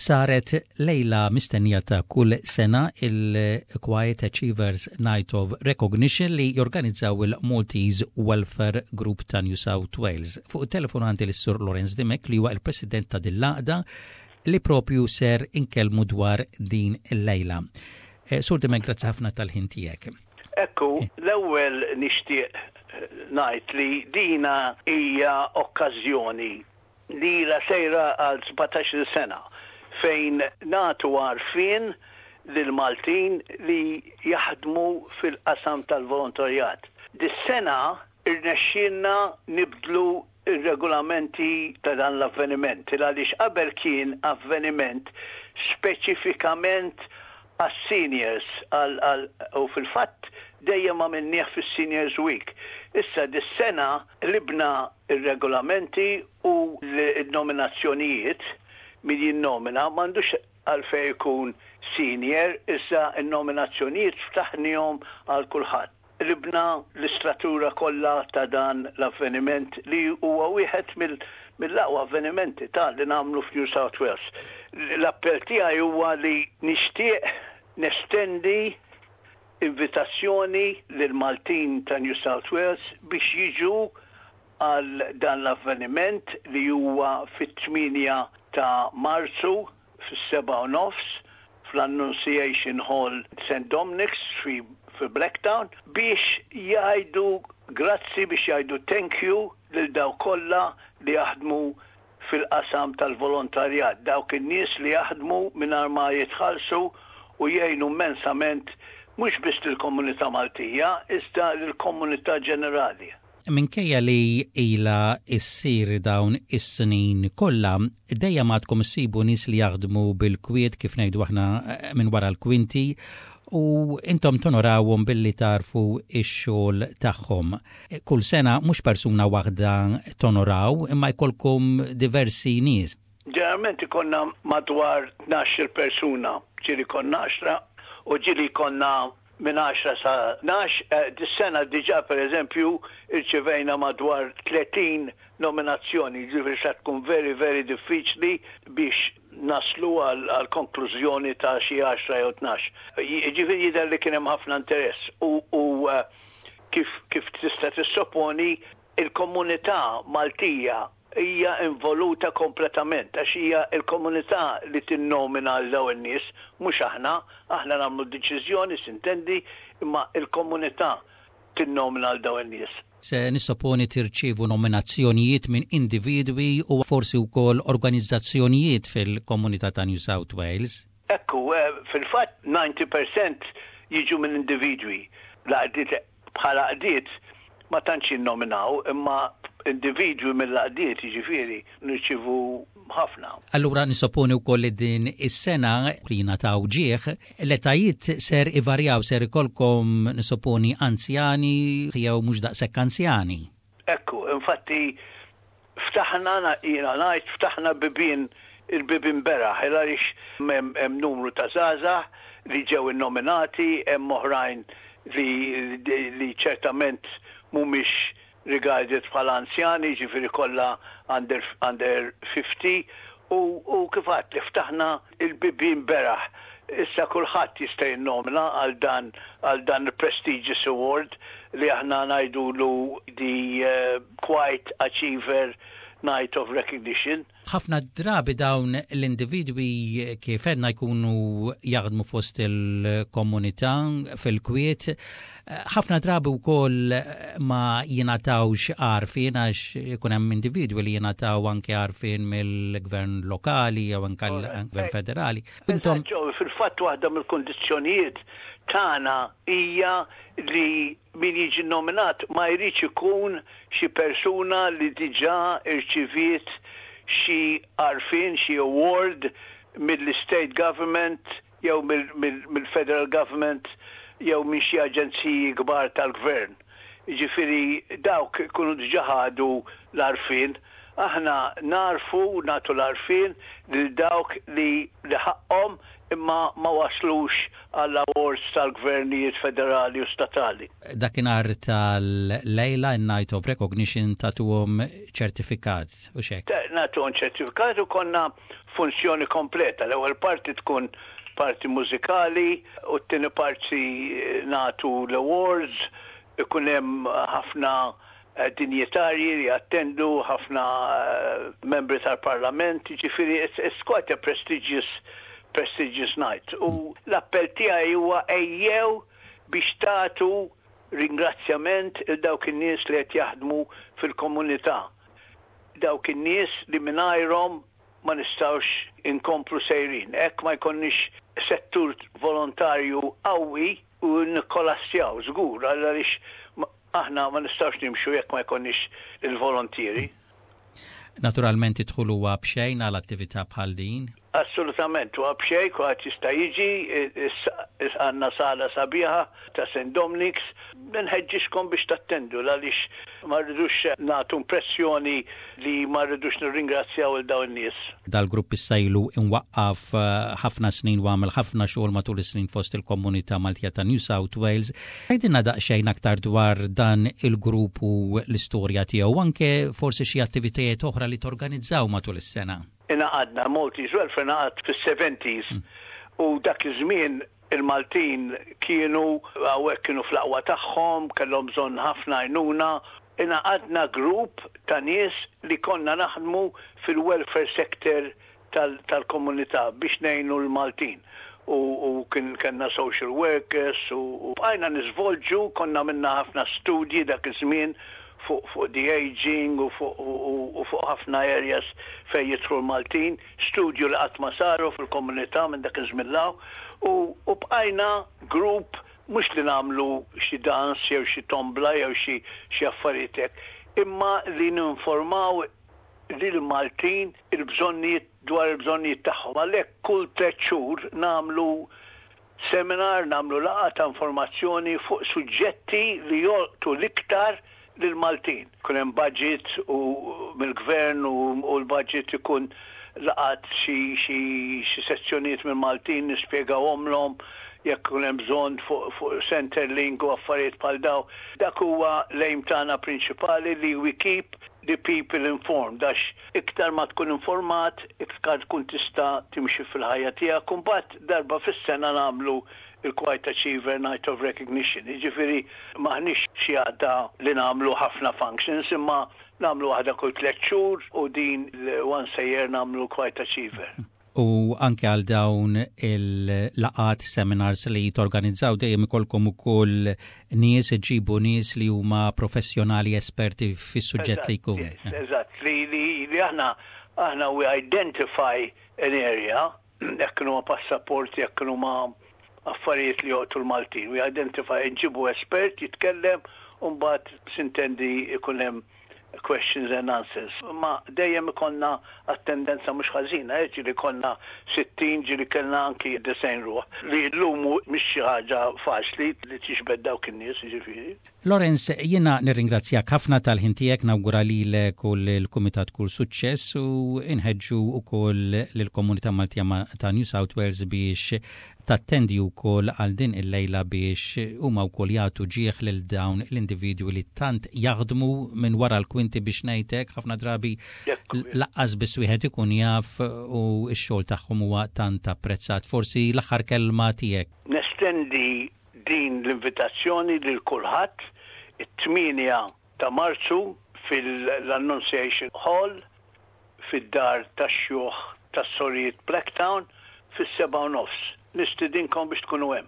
Saret lejla mistennija ta' kull sena, il-Quiet Achievers Night of Recognition li jorganizzaw il-Maltese Welfare Group ta' New South Wales. Fuq it-telefon għandi lis-Sur Lawrence Dimech, li huwa il-President ta' din l-għaqda li propju ser inkellmu dwar din il-lejla. Sur Dimech, grazzi ħafna tal-ħin tiegħek. Ekku, l-ewwel nixtieq ngħid li dina hija okkażjoni li ilha sejra għal 17-il sena fejn nagħtu għarfien lill-Maltin li jaħdmu fil-qasam tal-volontarjat. Dis-sena rnexxielna nibdlu r-regolamenti ta' dan l-avveniment il għaliex qabel kien avveniment speċifikament għas-seniors għal u fil-fatt dejjem għamilnieh fis-Seniors Week. Issa dis-sena qlibna r-regolamenti u l-nominazzjonijiet, min jinnomina m'għandux għalfejn ikun senior, iżda n-nominazzjonijiet ftaħnihom għal kulħadd. Qlibna l-istratura kollha ta' dan l-avveniment li huwa wieħed mill-aqwa avvenimenti ta' li nagħmlu f'New South Wales. L-appell tiegħi huwa li nixtieq nestendi invitazzjoni lill-Maltin ta' New South Wales biex jiġu għal dan l-avveniment li huwa fit-8 ta' Marzu fis-7:30 fl-Annunciation Hall St Dominic's fi Blacktown biex jgħidu grazzi, biex jgħidu thank you lil dawk kollha li jaħdmu fil-qasam tal-volontarjat, dawk in-nies li jaħdmu mingħajr ma jitħallsu u jgħinu immensament mhux biss lill-komunità Maltija iżda lill-komunità ġenerali. Minkejja li ilha ssir dawn is-snin kollha, dejjem għadkom issibu nies li jaħdmu bil-kwiet, kif ngħidu aħna, minn wara l-kwinti, u intom tonorawhom billi tagħrfu x-xogħol tagħhom. Kull sena mhux persuna waħda tonoraw, imma jkollkom diversi nies. Ġeneralment ikollna madwar 12-il persuna, ġieli jkollna għaxra u ġieli jkollna minn għaxra sa 12. Dis-sena diġà, pereżempju, irċivejna madwar 30 nominazzjoni, jiġifieri sa tkun very very diffiċli biex naslu għal konklużjoni ta' xi għaxra jew 12. Jiġifieri jidher li kien hemm ħafna interess u kif kif tista' tissoponi, il-komunità Maltija hija involuta kompletament għax hija l-komunità li tinnomina lil dawn in-nies, mhux aħna. Aħna nagħmlu d-deċiżjoni, s'intendi, imma l-komunità tinnomina lil dawn in-nies. Se nissoponi tirċievu nominazzjonijiet minn individwi u forsi wkoll organizzazzjonijiet fil-komunità ta' New South Wales. Ekku, fil-fatt 90% jiġu minn individwi. L-għaqdiet bħala għaqdiet ma tantx jinnominaw, imma individwi mill-għaqdiet, jiġifieri, nirċievu ħafna. Allura nissoponi wkoll li din is-sena li jingħataw ġieħ, l-etajiet ser ivarjaw, ser ikollkom, nissoponi, anzjani jew mhux daqshekk anzjani. Ekku, infatti ftaħna, jiena ngħid ftaħna bibien, il-bibien beraħ, il għaliex hemm numru ta' żgħażagħ li ġew innominati, hemm oħrajn li li ċertament mhumiex regarded bħala anzjani, jiġifieri kollha under under 50, u u kif għedt li ftaħna il-bibien beraħ. Issa kulħadd jista' jinnomina għal dan għal dan il-prestigious award li aħna ngħidulu the Quiet Achiever Night of Recognition. Ħafna drabi dawn l-individwi, kif għedna, jkunu jaħdmu fost il-komunità fil-kwiet. Ħafna drabi wkoll ma jingħatawx għarfien għax ikun hemm individwi li jingħataw anke għarfien mill-gvern lokali jew anke l-gvern federali. Intom Fil-fatt waħda mill-kundizzjonijiet tagħna hija li min jiġi nominat ma jridx ikun xi persuna li diġà rċiviet xi għarfien, xi award mill-state government jew mill-federal government jew minn xi aġenziji kbar tal-gvern. Jiġifieri dawk ikunu diġà ħadu l-għarfien. Aħna nagħrfu, nagħtu l-għarfien lil dawk li ħaqqhom. imma ma waslux għall awards tal-gvernijiet federali u statali. Dakinhar tal-lejla, Night of Recognition, tagħtuhom ċertifikat u hekk? Nagħtuhom ċertifikat u konna funzjoni kompleta. L-ewwel parti tkun parti mużikali u t-tieni parti nagħtu l-awards, ikun hemm ħafna dinjitarji li attendu, ħafna membri tal-parlament, ġifieri it's quite a prestigious night. U l-appell tiegħi huwa ejjew biex tagħtu ringrazzjament il dawk in-nies li qed jaħdmu fil-komunità. Dawk in-nies li mingħajrhom ma nistgħux inkomplu sejrin. Jekk ma jkollniex settur volontarju qawwi u nikkolassjaw żgur, għaliex aħna ma nistgħux nimxu jekk ma jkollniex il-volontieri. Naturalment id-dħul huwa b'xejn għal attività bħal din? Assolutament, huwa b'xejn, kulħadd jista' jiġi, għandna sala sabiħa ta' St. Dominic's, nħeġġixkom biex tattendu għaliex ma rridux nagħtu impressjoni li ma rridux nirringrazzjaw il dawn nies. Dal-grupp issa ilu imwaqqaf ħafna snin u għamel ħafna xogħol matul is-snin fost il-komunità Maltija ta' New South Wales. Għidilna daqsxejn aktar dwar dan il-grupp u l-istorja tiegħu, anke forsi xi attivitajiet oħra li torganizzaw matul is-sena. Ingħaqadna, Maltese Welfare ingħaqad fis-70s u dak iż-żmien il-Maltin kienu hawnhekk, kienu fl-aqwa tagħhom, kellhom bżonn ħafna għajnuna. Ingħaqadna grupp ta' nies li konna naħdmu fil-welfare sector tal-komunità biex ngħinu l-Maltin. U kien kellna social workers u bqajna niżvolġu, konna minna ħafna studji dak iż-żmien fuq the aging u fuq ħafna areas fejn jidħlu l-Maltin, studju li qatt ma saru fil-komunità minn dak iż-żmien u bqajna grupp mhux li nagħmlu xi dans jew xi tombla jew xi affarijiet hekk, imma li ninformaw lil Maltin il-bżonnijiet dwar il-bżonnijiet tagħhom. Għalhekk kull 3 xhur nagħmlu seminar, nagħmlu laqgħa ta' informazzjoni fuq suġġetti li jolqtu l-iktar lil-Maltin. Kun hemm budget u mill-gvern u l-budget ikun laqat xi sezzjonijiet mill-Maltin, nispjegawhomlhom jekk ikun hemm bżonn fuq Centrelink u affarijiet bħal daw. Dak huwa l-aim tagħna prinċipali, li we keep the people informed, għax iktar ma tkun informat, iktar tkun tista' timxi fil-ħajja tiegħek. Imbagħad darba fis-sena nagħmlu il-Quiet Achiever Night of Recognition. Jiġifieri m'aħniex xi għaqda li nagħmlu ħafna functions, imma nagħmlu waħda kull 3 xhur u din once a year nagħmlu Quiet Achiever. U anke għal dawn il-laqgħat, seminars li torganizzaw, dejjem ikolkom ukoll nies, ġibu nies li huma professjonali, esperti fis-suġġett li jkun. Eżatt, li aħna we identify an area, jekk huma passaporti, jekk huma affarijiet li jolqtu l-Maltin. We identify, nġibu espert jitkellem u mbagħad s'intendi ikun hemm questions and answers. Ma dejjem ikonna attendenza mhux ħażina, ġieli konna 60, ġieli kellna anki 90 ruħ. Li llum mhix xi ħaġa faċli li tiġbed dawk in-nies, ġifieri. Lawrence, jiena nirringrazzjak ħafna tal-ħin tiegħek, nawgura lilek u l-Kumitat kull suċċess u inħeġġu ukoll lill-komunità Maltija ta' New South Wales biex tattendi wkoll għal din il-lejla biex huma wkoll jagħtu ġieħ lil dawn l-individwi li tant jaħdmu minn wara l-kwinti, biex ngħidlek, ħafna drabi lanqas biss wieħed ikun jaf u x-xogħol tagħhom huwa tant apprezzat. Forsi l-aħħar kelma tiegħek. Nestendi din l-invitazzjoni lil kulħadd it-8 ta' Marzu fil-Annunciation Hall fid-dar tax-xjuħ tas-Sorijiet Blacktown fis-7:30. Nistidinkom biex tkunu hemm.